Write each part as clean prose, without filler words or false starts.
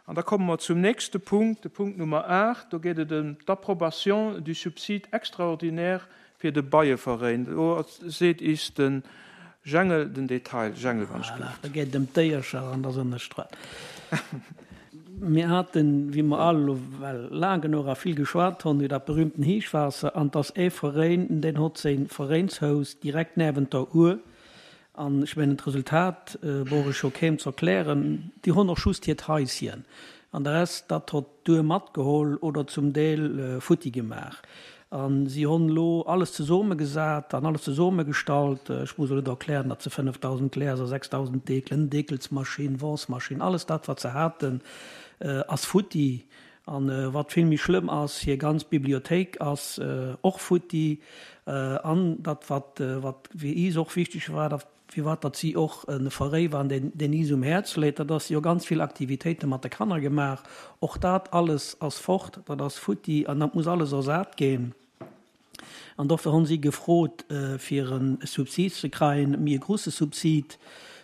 An da komme mer zum nächste Punkt, de Punkt Nummer 8. Do geet et ëm d'Approbation du subside extraordinaire fir de Beieveräin. Do seet is de Jengel den Detail. Jengel, wann ech Voilà, do geet et ëm d'Déiercher an der Sënnestrooss. Mir haten, wéi mer all elo well laang genuch a vill geschwat honn, iwwer dat berühmten Heeschwaasser. An 't ass ee Veräin, deen hott séin Veräinshous direkt näwent der Our. An ech mengen, d'Resultat brauch ech jo keem ze erklären, déi honn och just hiert Haisien an de Rest, dat hott d'Our matgeholl oder zum Deel futti gemaach. A si honn elo alles zesomegesat an alles zesomegestallt. Ech muss elo net erklären, datt se 5.000 Gläser, 6.000 Dekelen, Dekelsmaschinn, Waschmaschinn, alles dat, wat se haten, ass futti. An wat vill méi schlëmm ass, hir ganz Bibliothéik ass och futti. An dat, wat, wat fir is och wichteg war, dat, firwat datt si och e Veréi waren, deen, deen is um Häerz léit, dat ass, si hu ganz vill Aktivitéite mat de Kanner gemaach. Och dat alles ass fort, dat ass futti an dat muss alles ersat ginn. An dofir hunn si gefrot, fir e Subsid ze kreien, méi e grusse Subsid.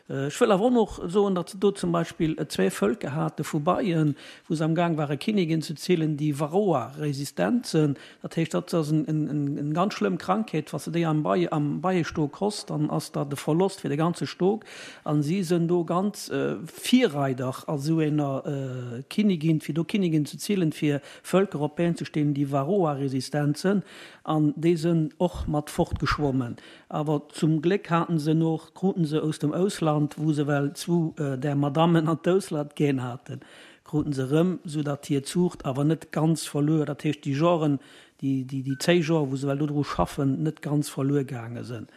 Ech wëll awer och noch soen, datt se do zum Beispill zwee Völker hate vu Beien, wou se amgaang ware Kinnigin ze zillen, déi Varroa-resistent sënn. Dat heescht, dat ass eng ganz schlëmm Krankheet, wa s de déi am Bei, am Beiestok hoss, dann ass dat e Verlost fir de ganze Stok. A si sënn do ganz Virreider a sou enger Kinnigin, fir do Kinnigin ze zillen, fir Völker op Been ze stehen, déi Varroa-resistent sënn, an déi sënn och mat fortgeschwommen. Awer zum Gléck haten se noch, kruten se aus dem Ausland, wou se well zwu där Madammen an d'Ausland gän haten, kruten se erëm, sou datt hir Zuucht awer net ganz verluer, dat heescht déi Joren, déi, déi, déi zéi Jor, wou se well dodru schaffen, net ganz verluer gaange sënn.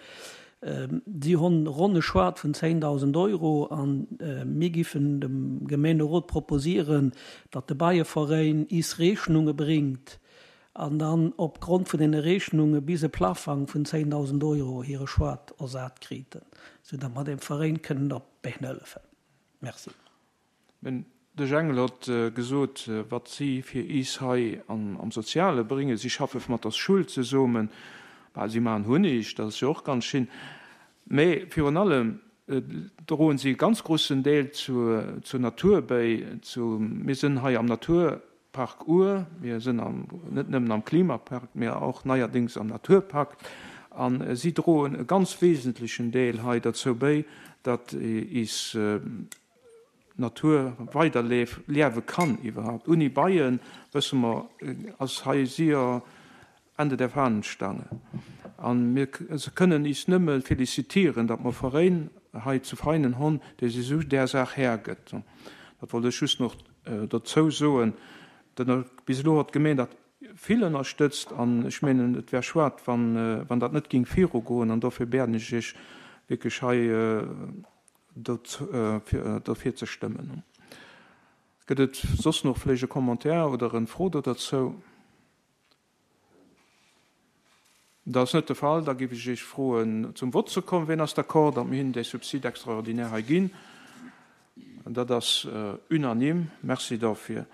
Si honn ronn e Choix vun 10.000 Euro an mir giffen dem Gemeenerot proposieren, datt de Beieveräin is Rechnunge bringt an dann op Grond vun deene Rechnunge bis e Plafang vun 10.000 Euro hire Choix ersat kriten, sou datt mer dem Veräin kënnen op d'Been hëllefen. Merci. Men de Jengel hott gesot, wat si fir is hei am Soziale bréngen. Si schaffe mat der Schull zesomen, bah, si maachen Hunnig, dat ass jo och ganz schin, mä virun allem droen si e ganz grussen Deel zur Natur béi. Mir sënn hei am Naturpark Our, mir sënn net nëmmen am Klimapark, mä och neierdéngs am Naturpark, a si droen e ganz wesentlechen Deel hei derzou béi, datt is Natur weider liewe kann iwwerhaupt. Uni Beien, wësse mer, ass hei sier Ende der Fahnenstange. A mir kënnen is nëmme félicitieren, datt mer Veréin hei zu Veinen honn, déi sech esou där Saach Här gëtt. Dat wollt ech just nach dozou soen. Bis elo hott d'Gemeen dat vill ënnerstëtzt an ech menen, et wär schuad, wann dat net ging virugoen an dofir biäden ech Iech wierklech hei, Dofir ze stëmmen. Gëtt et soss nach vléicht e Commentaire oder en Fro do derzou? Dat ass net de Fall. Da géif ech Iech froen, zum Vott ze kommen. Wien ass d'accord, datt mir hinnen dee Subside extraordinaire hei ginn? Dat ass unanime. Merci dofir.